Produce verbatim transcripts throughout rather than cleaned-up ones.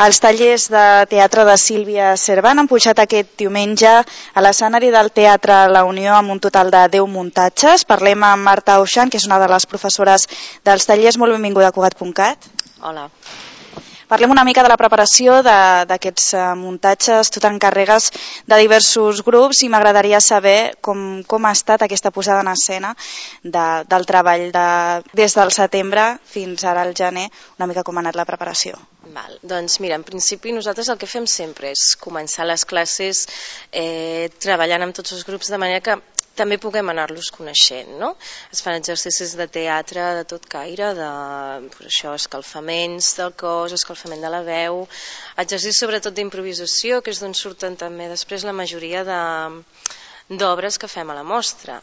Els tallers de teatre de Sílvia Servan han pujat aquest diumenge a l'escenari del Teatre La Unió amb un total de deu muntatges. Parlem amb Marta Auxan, que és una de les professores dels tallers. Molt benvinguda a Cugat punt cat. Hola. Parlem una mica de la preparació d'aquests muntatges. Tu t'encarregues de diversos grups i m'agradaria saber com, com ha estat aquesta posada en escena de, del treball de, des del setembre fins ara al gener, una mica com ha anat la preparació. Val. Doncs mira, en principi nosaltres el que fem sempre és començar les classes eh, treballant amb tots els grups de manera que també puguem anar-los coneixent, no? Es fan exercicis de teatre de tot caire, de pues això, escalfaments del cos, escalfament de la veu, exercicis sobretot d'improvisació, que és d'on surten també després la majoria d'obres que fem a la mostra.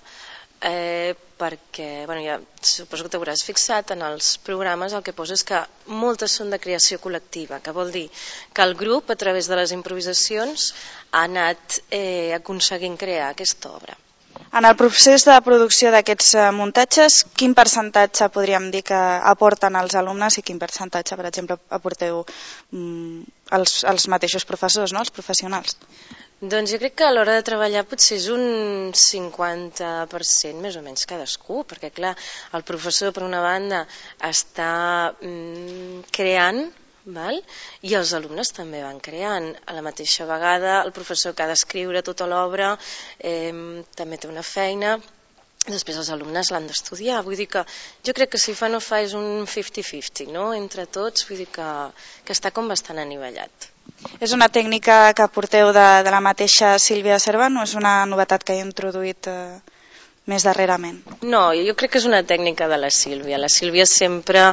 Eh, perquè, bueno, ja suposo que t'hauràs fixat en els programes, el que posa és que moltes són de creació col·lectiva, que vol dir que el grup, a través de les improvisacions, ha anat eh, aconseguint crear aquesta obra. En el procés de producció d'aquests muntatges, quin percentatge podríem dir que aporten els alumnes i quin percentatge, per exemple, aporteu mm, els, els mateixos professors, no? Els professionals? Doncs jo crec que a l'hora de treballar potser és un cinquanta per cent més o menys cadascú, perquè clar, el professor per una banda està mm, creant, val? I els alumnes també van creant. A la mateixa vegada el professor que ha d'escriure tota l'obra eh, també té una feina, després els alumnes l'han d'estudiar, vull dir que jo crec que si fa no fa és un cinquanta cinquanta, no? Entre tots, vull dir que, que està com bastant anivellat. És una tècnica que porteu de, de la mateixa Sílvia Servan o és una novetat que he introduït eh, més darrerament? No, jo crec que és una tècnica de la Sílvia. La Sílvia sempre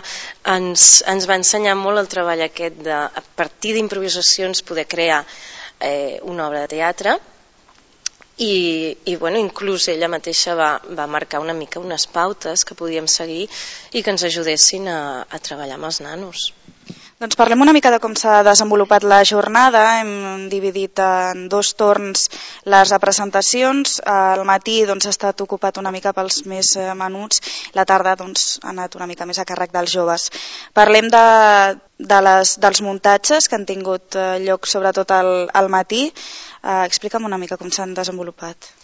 ens, ens va ensenyar molt el treball aquest de, a partir d'improvisacions, poder crear eh, una obra de teatre i, i bueno, inclús ella mateixa va, va marcar una mica unes pautes que podíem seguir i que ens ajudessin a, a treballar amb els nanos. Doncs parlem una mica de com s'ha desenvolupat la jornada. Hem dividit en dos torns les representacions. Al matí doncs, ha estat ocupat una mica pels més menuts, la tarda doncs, ha anat una mica més a càrrec dels joves. Parlem de, de les, dels muntatges que han tingut lloc sobretot al, al matí. Eh, explica'm una mica com s'han desenvolupat.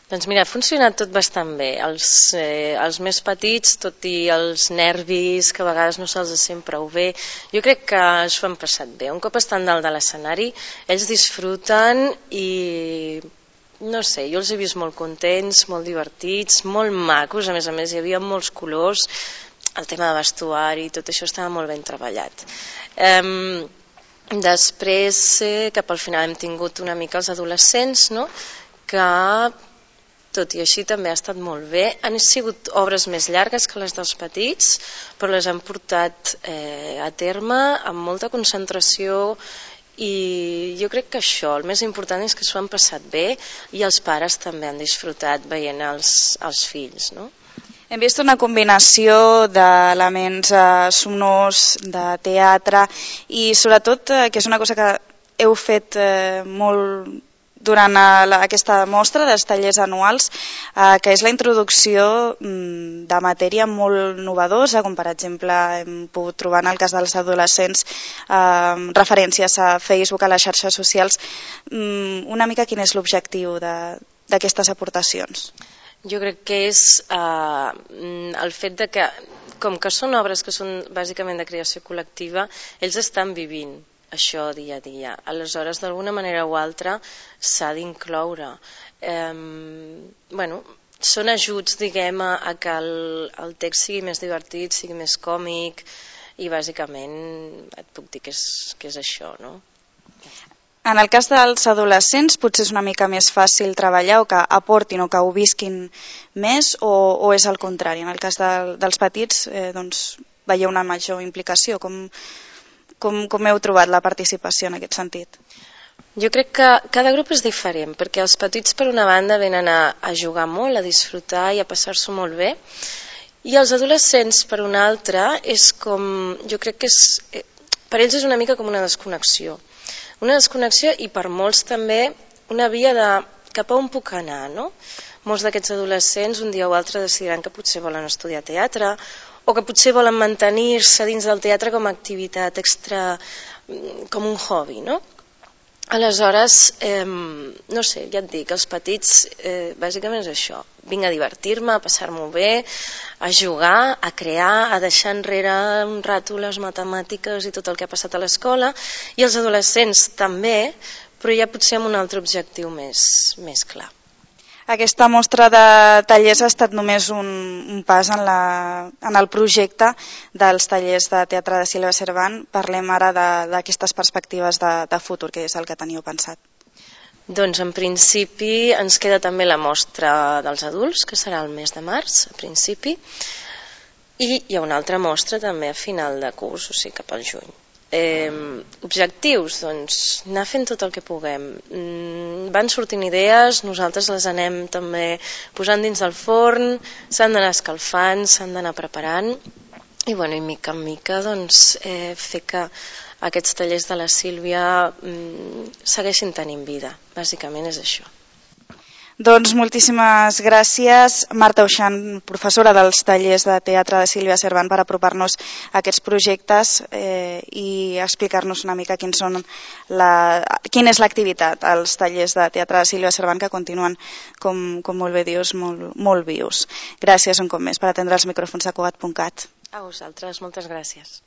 Doncs mira, ha funcionat tot bastant bé. Els, eh, els més petits, tot i els nervis, que a vegades no se'ls sent prou bé, jo crec que s'ho han passat bé. Un cop estan dalt de l'escenari, ells disfruten i, no sé, jo els he vist molt contents, molt divertits, molt macos, a més a més hi havia molts colors, el tema de vestuari, tot això estava molt ben treballat. Eh, després, eh, cap al final hem tingut una mica els adolescents, no?, que tot i així també ha estat molt bé. Han sigut obres més llargues que les dels petits, però les han portat eh, a terme amb molta concentració i jo crec que això, el més important és que s'ho han passat bé i els pares també han disfrutat veient els, els fills, no? Hem vist una combinació d'elements eh, sonors, de teatre i sobretot, eh, que és una cosa que heu fet eh, molt durant la, aquesta mostra dels tallers anuals, eh, que és la introducció mm, de matèria molt novedosa, com per exemple hem pogut trobar en el cas dels adolescents eh, referències a Facebook, a les xarxes socials. Mm, una mica quin és l'objectiu d'aquestes aportacions? Jo crec que és eh, el fet de que, com que són obres que són bàsicament de creació col·lectiva, ells estan vivint això dia a dia. Aleshores, d'alguna manera o altra, s'ha d'incloure. Eh, bueno, són ajuts, diguem, a, a que el, el text sigui més divertit, sigui més còmic, i bàsicament et puc dir que és, que és això, no? En el cas dels adolescents potser és una mica més fàcil treballar o que aportin o que ho visquin més o, o és el contrari? En el cas de, dels petits eh, doncs, veieu una major implicació. Com, com, com heu trobat la participació en aquest sentit? Jo crec que cada grup és diferent, perquè els petits per una banda venen a, a jugar molt, a disfrutar i a passar-s'ho molt bé, i els adolescents per una altra és com, jo crec que és, per ells és una mica com una desconnexió. Una desconnexió i per molts també una via de cap a on puc anar, no? Molts d'aquests adolescents un dia o altre decidiran que potser volen estudiar teatre o que potser volen mantenir-se dins del teatre com a activitat extra com un hobby, no? Aleshores, eh, no sé, ja et dic, els petits eh, bàsicament és això, vinc a divertir-me, a passar-m'ho bé, a jugar, a crear, a deixar enrere un rato les matemàtiques i tot el que ha passat a l'escola, i els adolescents també, però ja potser amb un altre objectiu més, més clar. Aquesta mostra de tallers ha estat només un, un pas en, la, en el projecte dels tallers de teatre de Sílvia Cervant. Parlem ara d'aquestes perspectives de, de futur, que és el que teniu pensat. Doncs en principi ens queda també la mostra dels adults, que serà el mes de març, a principi, i hi ha una altra mostra també a final de curs, o sigui cap al juny. Eh, objectius, doncs anar fent tot el que puguem. Mm, van sortint idees, nosaltres les anem també posant dins del forn, s'han d'anar escalfant, s'han d'anar preparant i, bueno, i mica en mica doncs, eh, fer que aquests tallers de la Sílvia mm, segueixin tenint vida. Bàsicament és això. Doncs moltíssimes gràcies, Marta Uixant, professora dels tallers de teatre de Sílvia Cervant, per apropar-nos a aquests projectes eh, i explicar-nos una mica quins són la, quina és l'activitat als tallers de teatre de Sílvia Cervant, que continuen, com, com molt bé dius, molt, molt vius. Gràcies un cop més per atendre els micròfons de Cugat punt cat. A vosaltres, moltes gràcies.